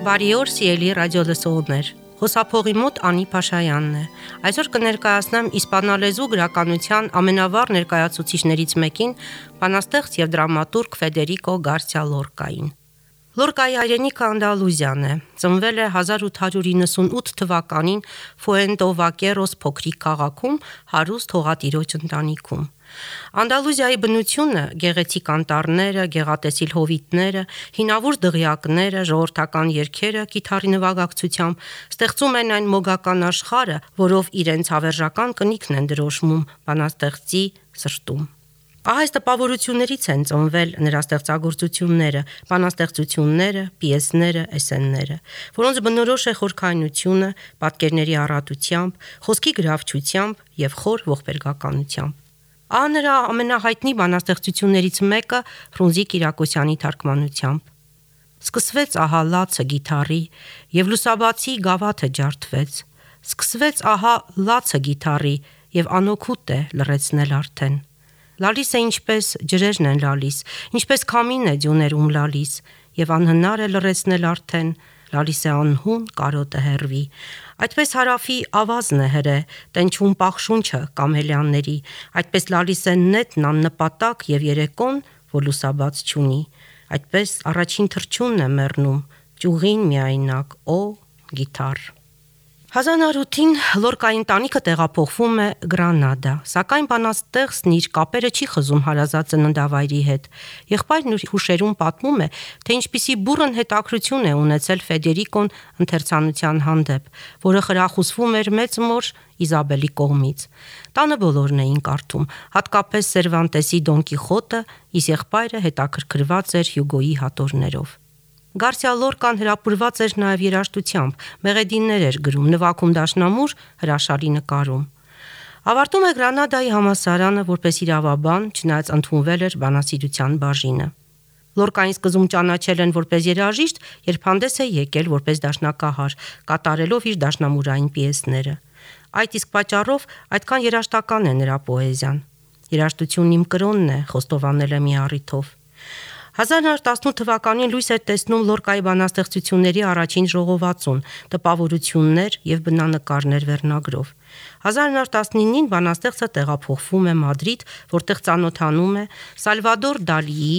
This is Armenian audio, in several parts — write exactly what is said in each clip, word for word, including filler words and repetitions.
Բարի օր, սիրելի ռադիոլսողներ։ Խոսափողի մոտ Անի Փաշայանն է։ Այսօր կներկայացնեմ իսպանալեզու գրականության ամենավառ ներկայացուցիչներից մեկին, բանաստեղծ եւ դրամատուրգ Ֆեդերիկո Գարսիա Լորկային։ Լորկայի հայրենիքը Անդալուզիան է։ Ծնվել է հազար ութ հարյուր իննսունութ թվականին Ֆուենտովակերոս փոքրիկ քաղաքում հարուստ հողատիրոջ ընտանիքում։ Անդալուզիայի բնությունը, գեղեցիկ անտառները, գեղատեսիլ հովիտները, հինավուրց դղյակները, ժողովրդական երգերը կիթառի նվագակցությամբ ստեղծում են այն մոգական աշխարհը, որով իրենց հավերժական կնիքն են դրոշմում բանաստեղծի սրտում։ Ահա այս տպավորություններից են ծնվել նրա ստեղծագործությունները, բանաստեղծությունները, պիեսները, էսսեները, որոնց բնորոշ է խորքայնությունը, պատկերների առատությամբ, խոսքի գրավչությամբ եւ խոր ողբերգականությամբ։ Ահա նրա ամենահայտնի բանաստեղծություններից մեկը Ֆրունզիկ Կիրակոսյանի թարգմանությամբ։ Սկսվեց ահա լացը գիթառի, եւ լուսաբացի գավաթը ջարդվեց։ Սկսվեց ահա լացը գիթառի, եւ անօգուտ է լռեցնել արդեն։ Լալիս է ինչպես ջրերն են լալիս, ինչպես քամին է ձյուներում լալիս, եւ անհնար է լռեցնել արդեն, լալիս է անհուն կարոտը հեռվի։ Այդպես հարավի ավազն է հրե, տենչում պախշունչը կամելյանների, այդպես լալիս է նետն աննպատակ եւ երեկոն, որ լուսաբաց չունի, այդպես առաջին թռչունն է մեռնում, ճյուղին միայնակ, օ գիթառ։ հազար ութին Լորկայի ընտանիքը տեղափոխվում է Գրանադա, սակայն բանաստեղծն իր կապերը չի խզում հարազատ ծննդավայրի հետ։ Եղբայրն իր հուշերում պատմում է, թե ինչպիսի բուռն հետաքրություն է ունեցել Ֆեդերիկոն ընթերցանության հանդեպ, որը խրախուսվում էր մեծ մոր Իզաբելի կողմից։ Տանը բոլորն էին կարդում, հատկապես Սերվանտեսի Դոն Կիխոտը, իսկ եղբայրը հետաքրքրված էր Հյուգոյի հատորներով։ Գարսիա Լորկան հրապուրված էր նաև երաժշտությամբ, մեղեդիներ էր գրում, նվագում դաշնամուր, հրաշալի նկարում։ Ավարտում է Գրանադայի համալսարանը որպես իրավաբան, չնայած ընդունվել էր բանասիրության բաժինը։ Լորկային սկզբում ճանաչել են որպես երաժիշտ, երբ հանդես է եկել որպես դաշնակահար, կատարելով իր դաշնամուրային պիեսները։ Այդ իսկ պատճառով այդքան երաժշտական է նրա պոեզիան։ Երաժշտությունն իմ կրոնն է, խոստովանել է մի առիթով։ հազար տասնութ թվականին լույս էր տեսնում Լորկայի բանաստեղծությունների առաջին ժողովածուն, տպավորություններ եւ բնանկարներ վերնագրով։ հազար տասնինին բանաստեղծը տեղափոխվում է Մադրիդ, որտեղ ծանոթանում է Սալվադոր Դալիի,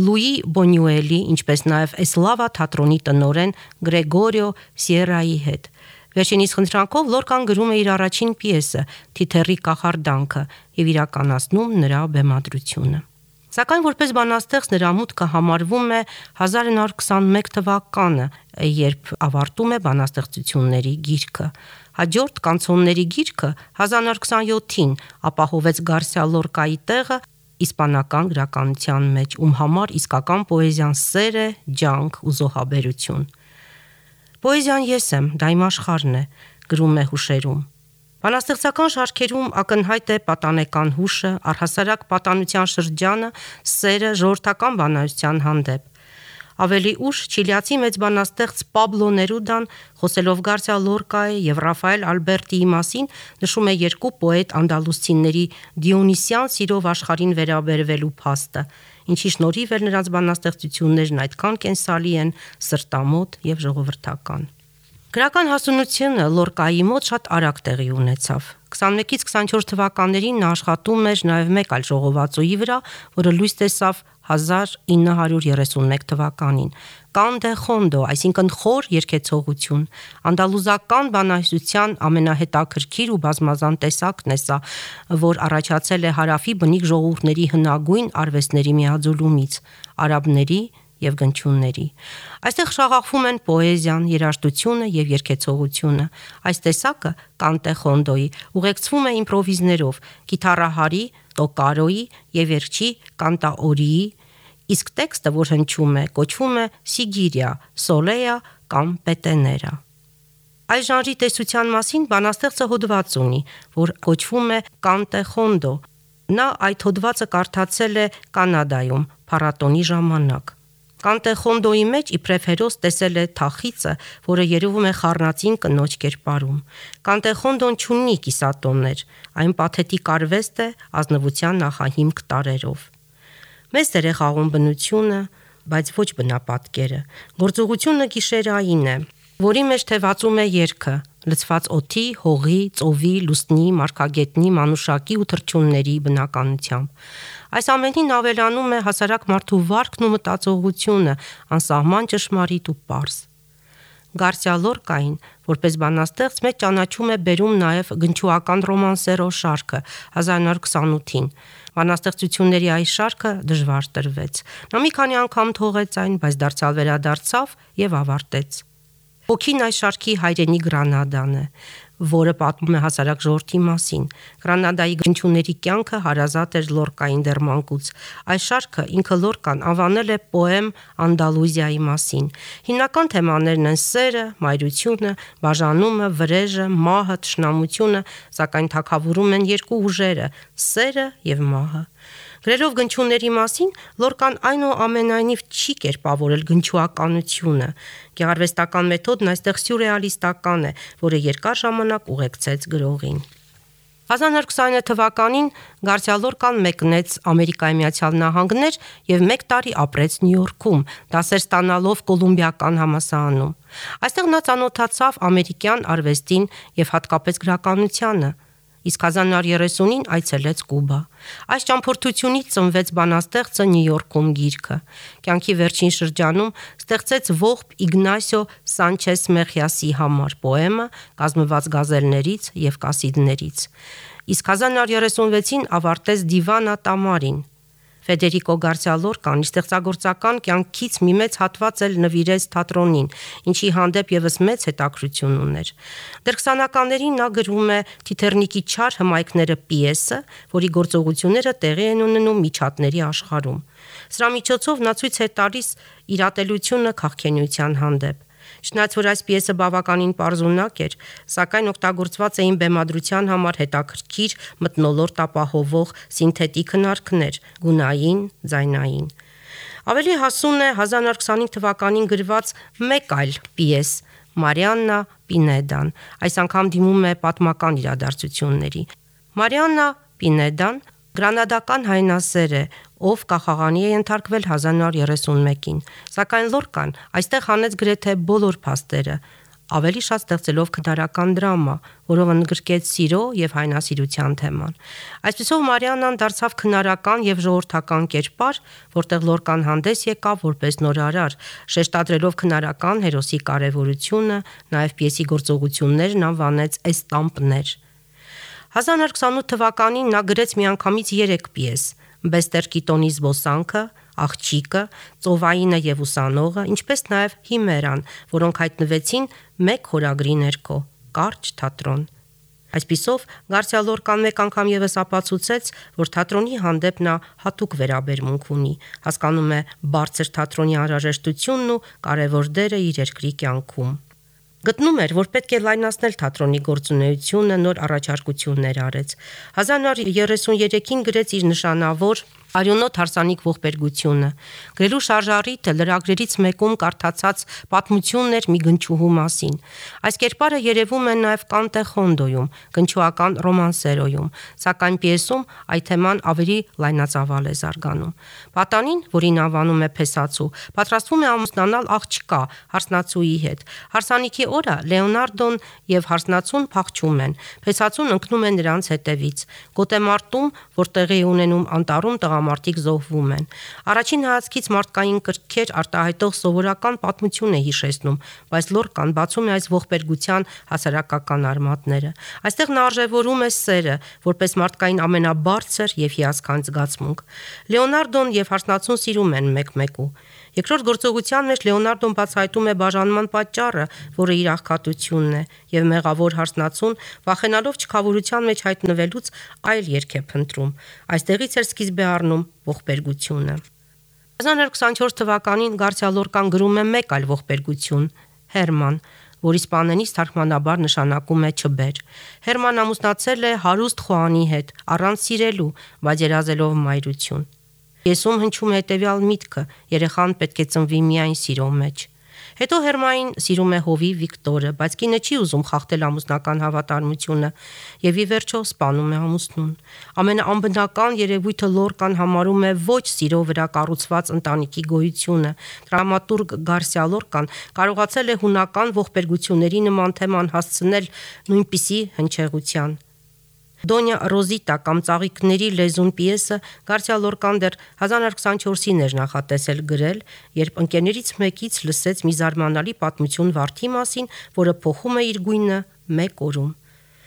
Լուի Բոնյուելի, ինչպես նաեւ Էսլավա թատրոնի տնօրեն Գրեգորիո Սիերայի հետ։ Վերջինիս խնդրանքով Լորկան գրում է իր առաջին պիեսը՝ Թիթեռի կախարդանքը եւ իրականացնում նրա բեմադրությունը։ Սակայն որպես բանաստեղծ նրա մուտքը համարվում է հազար նոր քսանմեկ թվականը, երբ ավարտում է բանաստեղծությունների գիրքը։ Հաջորդ կանցոնների գիրքը հազար նոր քսանյոթին ապահովեց Գարսիա Լորկայի տեղը իսպանական գրականության մեջ, ում համար իսկական պոեզիան սեր է, ջանք ու զոհաբերություն։ Պոեզիան ես եմ, դա իմ աշխարհն է, գրում է հուշերում։ Բանաստեղծական շարքերում ակնհայտ է պատանեկան հուշը, առհասարակ պատանության շրջանը, սերը ժողովրդական բանահյուսության հանդեպ։ Ավելի ուշ չիլիացի մեծ բանաստեղծ Պաբլո Ներուդան, խոսելով Գարսիա Լորկայի եւ Ռաֆայել Ալբերտիի մասին, նշում է երկու պոետ անդալուսցիների դիոնիսյան սիրով աշխարհին վերաբերվելու փաստը, ինչի շնորհիվ էլ նրանց բանաստեղծություններն այդքան կենսալի են, սրտամոտ եւ ժողովրդական։ Գրական հասունությունը Լորկայի մոտ շատ արագ տեղի ունեցավ։ քսանմեկից քսանչորս թվականներին նա աշխատում էր նաև մեկ այլ ժողովածուի վրա, որը լույս տեսավ հազար ինը հարյուր երեսունմեկ թվականին։ Կան դե խոնդո, այսինքն խոր երգեցողություն, անդալուզական բանահյուսության ամենահետաքրքիր ու բազմազան տեսակն է սա, որ առաջացել է հարավի բնիկ ժողովուրդների հնագույն արվեստների միաձուլումից, արաբների եւ գնչունների։ Այստեղ շաղախվում են պոեզիան, երաժշտությունը եւ երգեցողությունը։ Այս տեսակը կանտե խոնդոյի ուղեկցվում է իմպրովիզներով, գիտարահարի, տոկարոյի եւ վերջի կանտաորիի, իսկ տեքստը, որ հնչում է, կոչվում է սիգիրիա, սոլեա կամ պետեներա։ Այս ժանրի տեսության մասին բանաստեղծը հոդված ունի, որ կոչվում է կանտե խոնդո։ Նա այդ հոդվածը կարդացել է Կանադայում փառատոնի ժամանակ։ Կանտե խոնդոյի մեջ իբրև հերոս տեսել է թախիծը, որը երևում է խառնածին կնոջ կերպարում։ Կանտե խոնդոն չունի կիսատոններ, այն պաթետիկ արվեստ է ազնվության նախահիմք տարերով։ Մեծ դեր է խաղում բնությունը, բայց ոչ բնապատկերը։ Գործողությունը գիշերային է, որի մեջ թևածում է երգը, լցված օդի, հողի, ծովի, լուսնի, մարգագետնի, մանուշակի ու թռչունների բնականությամբ։ Այս ամենին ավելանում է հասարակ մարդու վարքն ու մտածողությունը, անսահման ճշմարիտ ու պարզ։ Գարսիա Լորկային, որպես բանաստեղծ, մեծ ճանաչում է բերում նաև գնչուական ռոմանսերո շարքը հազար նոր քսանութին։ Բանաստեղծությունների այս շարքը դժվար տրվեց։ Նա մի քանի անգամ թողեց այն, բայց դարձյալ վերադարձավ եւ ավարտեց։ Ոգին այս շարքի հայրենի Գրանադան է, որը պատմում է հասարակ ժողովրդի մասին։ Գրանադայի գնչուների կյանքը հարազատ էր Լորկային դեռ մանկուց։ Այս շարքը ինքը Լորկան անվանել է պոեմ Անդալուզիայի մասին։ Հիմնական թեմաներն են սերը, մայրությունը, բաժանումը, վրեժը, մահը, թշնամությունը, սակայն թագավորում են երկու ուժերը՝ սերը եւ մահը։ Գրելով գնչուների մասին, Լորկան այնուամենայնիվ չի կերպավորել գնչուականությունը։ Գեղարվեստական մեթոդն այստեղ սյուրռեալիստական է, որը երկար ժամանակ ուղեկցեց գրողին։ հազար նոր քսաներորդ թվականին Գարսիա Լորկան մեկնեց Ամերիկայի Միացյալ Նահանգներ եւ մեկ տարի ապրեց Նյու Յորքում, դասեր ստանալով Կոլումբիական համալսարանում։ Այստեղ նա ծանոթացավ ամերիկյան արվեստին եւ հատկապես գրականությանը, իսկ հազար նոր երեսունին այցելեց Կուբա։ Այս ճամփորդությունից ծնվեց բանաստեղծը Նյու Յորքում գիրքը։ Կյանքի վերջին շրջանում ստեղծեց ողբ Իգնասիո Սանչես Մեխիասի համար պոեմը, կազմված գազելներից եւ կասիդներից։ Իսկ հազար նոր երեսունվեցին ավարտեց Դիվանա Տամարին։ Ֆեդերիկո Գարսիա Լորկան իր ստեղծագործական կյանքից մի մեծ հատված էլ նվիրեց թատրոնին, ինչի հանդեպ եւս մեծ հետաքրություն ուներ։ Դեռ քսանականներին նա գրում է Թիթեռնիկի չար հմայքները պիեսը, որի գործողությունները տեղի են ունենում միջատների աշխարհում։ Սրա միջոցով նա ցույց է տալիս իր ատելությունը քաղաքենության հանդեպ։ Չնայած որ այս պիեսը բավականին պարզունակ էր, սակայն օգտագործված էին բեմադրության համար հետաքրքիր մթնոլորտ ապահովող սինթետիկ հնարքներ՝ գունային, ձայնային։ Ավելի հասուն է հազար նոր քսանհինգ թվականին գրված մեկ այլ պիես՝ Մարիաննա Պինեդան, այս անգամ դիմում է պատմական իրադարձությունների։ Մարիաննա Պինեդան գրանադական հայնասեր է, ով կախաղանի է ենթարկվել հազար նոր երեսունմեկին, սակայն Լորկան այստեղ հանեց գրեթե բոլոր փաստերը, ավելի շատ ստեղծելով քնարական դրամա, որով ընդգրկեց սիրո եւ հայնասիրության թեման։ Այսպիսով Մարիաննան դարձավ քնարական եւ ժողովրդական կերպար, որտեղ Լորկան հանդես եկավ որպես նորարար, շեշտադրելով քնարական հերոսի կարեւորությունը, նաեւ պիեսի գործողություններն անվանեց էստամպներ։ հազար նոր քսանութ թվականին նա գրեց միանգամից երեք պիես՝ Բեստեր Կիտոնի զբոսանքը, Աղջիկը, Ծովայինը եւ ուսանողը, ինչպես նաեւ Հիմերան, որոնք հայտնվեցին մեկ խորագրի ներքո՝ Կարճ թատրոն։ Այսպիսով Գարսիա Լորկան մեկ անգամ եւս ապացուցեց, որ թատրոնի հանդեպ նա հատուկ վերաբերմունք ունի, հասկանում է բարձր թատրոնի անհրաժեշտությունն ու կարևոր դերը իր երկրի կյանքում։ Գտնում էր, որ պետք է լայնացնել թատրոնի գործունեությունը, նոր առաջարկություններ արեց։ հազար նոր երեսուներեքին գրեց իր նշանավոր Արյունոտ հարսանիք ողբերգությունը։ Գրելու շարժառիթը լրագրերից մեկում կարդացած պատմությունն էր մի գնչուհու մասին։ Այս կերպարը երևում է նաև Կանտե Խոնդոյում, գնչուական ռոմանսերոյում, սակայն պիեսում այդ թեման ավելի լայնածավալ է զարգանում։ Պատանին, որին անվանում է Փեսացու, պատրաստվում է ամուսնանալ աղջկա հարսնացուի հետ։ Հարսանիքի օրը Լեոնարդոն եւ հարսնացուն փախչում են։ Փեսացուն ընկնում է նրանց հետևից։ Գոտեմարտում, որ տեղի է ունենում անտառում, տղամարդիկ զոհվում են։ Առաջին հայացքից մարդկային կրքեր արտահայտող սովորական պատմություն է հիշեցնում, բայց Լորկան բացում է այս ողբերգության հասարակական արմատները։ Այստեղ նա արժևորում է սերը, որպես մարդկային ամենաբարձր եւ հիասքանչ զգացմունք։ Լեոնարդոն եւ հարսնացուն սիրում են մեկ-մեկու։ Երկրորդ գործողության մեջ Լեոնարդոն բացահայտում է բաժանման պատճառը, որը իր աղքատությունն է, եւ մեղավոր հարսնացուն, վախենալով չքավորության մեջ հայտնվելուց, այլ երգ է փնտրում։ Այստեղից էր սկիզբ է առնում ողբերգությունը։ հազար նոր քսանչորս թվականին Գարսիա Լորկան գրում է մեկ այլ ողբերգություն՝ Հերման, որ իսպաներենից թարգմանաբար նշանակում է չբեր։ Հերման ամուսնացել է հարուստ Խուանի հետ, առանց սիրելու, բայց երազելով մայրություն։ Պիեսում հնչում է հետևյալ միտքը՝ երեխան պետք է ծնվի միայն սիրո մեջ։ Հետո Հերմային սիրում է հովիվ Վիկտորը, բայց կինը չի ուզում խախտել ամուսնական հավատարմությունը եւ ի վերջո սպանում է ամուսնուն։ Ամենաանբնական երևույթը Լորկան համարում է ոչ սիրո վրա կառուցված ընտանիքի գոյությունը։ Դրամատուրգ Գարսիա Լորկան կարողացել է հունական ողբերգությունների նման թեման հասցնել նույնպիսի հնչեղության։ Դոնյա Ռոզիտա կամ Ծաղիկների լեզուն պիեսը Գարսիա Լորկան դեռ հազար նոյ հարյուր քսանչորսին էր նախատեսել գրել, երբ ընկերներից մեկից լսեց մի զարմանալի պատմություն վարդի մասին, որը փոխում է իր գույնը մեկ օրում։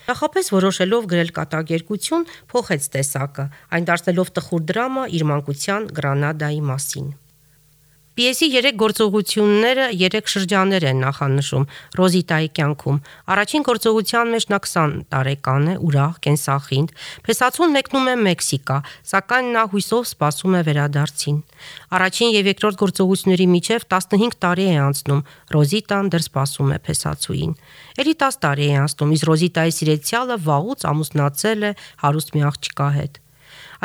Նախապես որոշելով գրել կատակերգություն, փոխեց տեսակը, այն դարձնելով տխուր դրամա իր մանկության Գրանադայի մասին։ Պիեսի երեք գործողությունները երեք շրջաններ են նախանշում Ռոզիտայի կյանքում։ Առաջին գործողության մեջ նա քսան տարեկան է, ուրախ, կենսախինդ, փեսացուն մեկնում է Մեքսիկա, սակայն նա հույսով սպասում է վերադարձին։ Առաջին եւ երկրորդ գործողությունների միջև տասնհինգ տարի է անցնում, Ռոզիտան դեռ սպասում է փեսացուին։ Էլի տասը տարի է անցնում, իսկ Ռոզիտայի սիրեցյալը վաղուց ամուսնացել է հարուստ մի աղջկա հետ։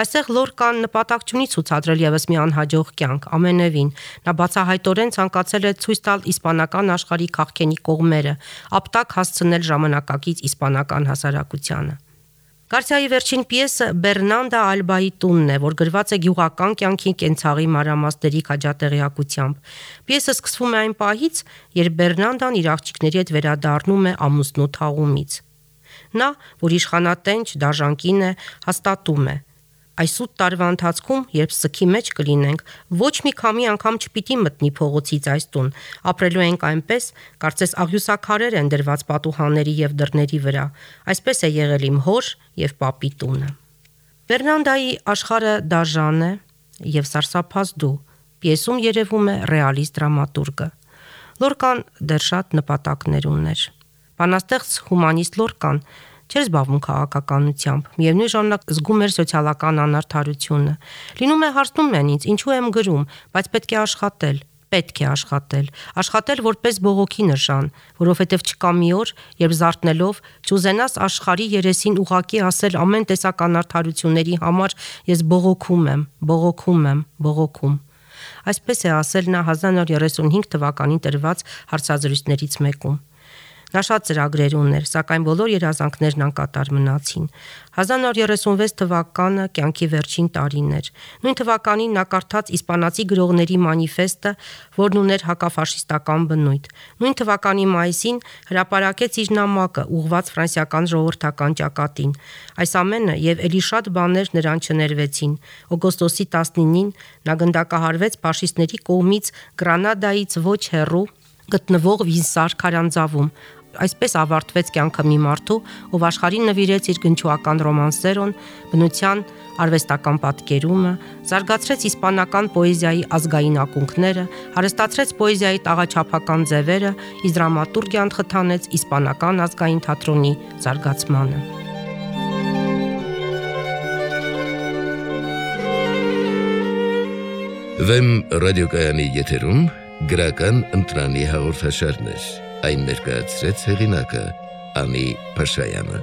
Այստեղ Լորկան նպատակ չունի ցուցադրել եւս մի անհաջող կյանք, ամենևին։ Նա բացահայտորեն ցանկացել է ցույց տալ իսպանական աշխարհի քաղաքենի կողմերը, ապտակ հասցնել ժամանակակից իսպանական հասարակությանը։ Գարսիայի վերջին պիեսը Բերնանդա Ալբայի տունն է, որ գրված է գյուղական կյանքի կենցաղի մանրամասների քաջատեղյակությամբ։ Պիեսը սկսվում է այն պահից, երբ Բերնանդան իր աղջիկների հետ վերադառնում է ամուսնու թաղումից։ Նա, որ իշխանատենչ դաժան է, հաստատում է. այս ութ տարվա ընթացքում, երբ սքի մեջ կլինենք, ոչ մի քամի անգամ չպիտի մտնի փողոցից այս տուն, ապրելու ենք այնպես, կարծես աղյուսաքարեր են դրված պատուհանների եւ դռների վրա։ Այսպես է եղել իմ հոր եւ պապի տունը։ Բերնանդայի աշխարհը դաժան է եւ սարսափազդու։ Պիեսում երևում է ռեալիստ դրամատուրգը։ Լորկան դեռ շատ նպատակներ ուներ։ Բանաստեղծ հումանիստ Լորկան չէր զբաղվում քաղաքականությամբ, միևնույն ժամանակ զգում էր սոցիալական անարդարությունը։ Լինում է հարցնում են ինձ, ինչու եմ գրում, բայց պետք է աշխատել, պետք է աշխատել, աշխատել որպես բողոքի նշան, որովհետև չկա մի օր, երբ զարթնելով չուզենաս աշխարհի երեսին ուղակի ասել ամեն տեսակ անարդարությունների համար ես բողոքում եմ, բողոքում եմ, բողոքում։ Այսպես է ասել նա հազար նոյ հարյուր երեսունհինգ թվականին տրված հարցազրույցներից մեկում։ Նա շատ ծրագրեր ուներ, սակայն բոլոր երազանքներն անկատար մնացին։ հազար նոյ հարյուր երեսունվեց թվականը կյանքի վերջին տարին էր։ Նույն թվականին նա կարդաց իսպանացի գրողների մանիֆեստը, որն ուներ հակաֆաշիստական բնույթ։ Նույն թվականի մայիսին հրապարակեց իր նամակը, ուղղված ֆրանսիական ժողովրդական ճակատին։ Այս ամենը եւ ելի շատ բաներ նրան չներվեցին։ Օգոստոսի տասնինին նա գնդակահարվեց ֆաշիստների կողմից Գրանադայից ոչ հեռու գտնվող Վինսար քարանձավում։ Այսպես ավարտվեց կյանքը մի մարդու, ով աշխարհին նվիրեց իր գնչուական ռոմանսերոն, բնության արվեստական պատկերումը, զարգացրեց իսպանական պոեզիայի ազգային ակունքները, հարստացրեց պոեզիայի տաղաչափական ձևերը, իսկ դրամատուրգիան խթանեց իսպանական ազգային թատրոնի զարգացմանը։ Վեմ ռադիոկայանի եթերում գրական ընտրանի հաղորդաշարներ, այն ներկայացրեց հեղինակը Անի Փաշայանը։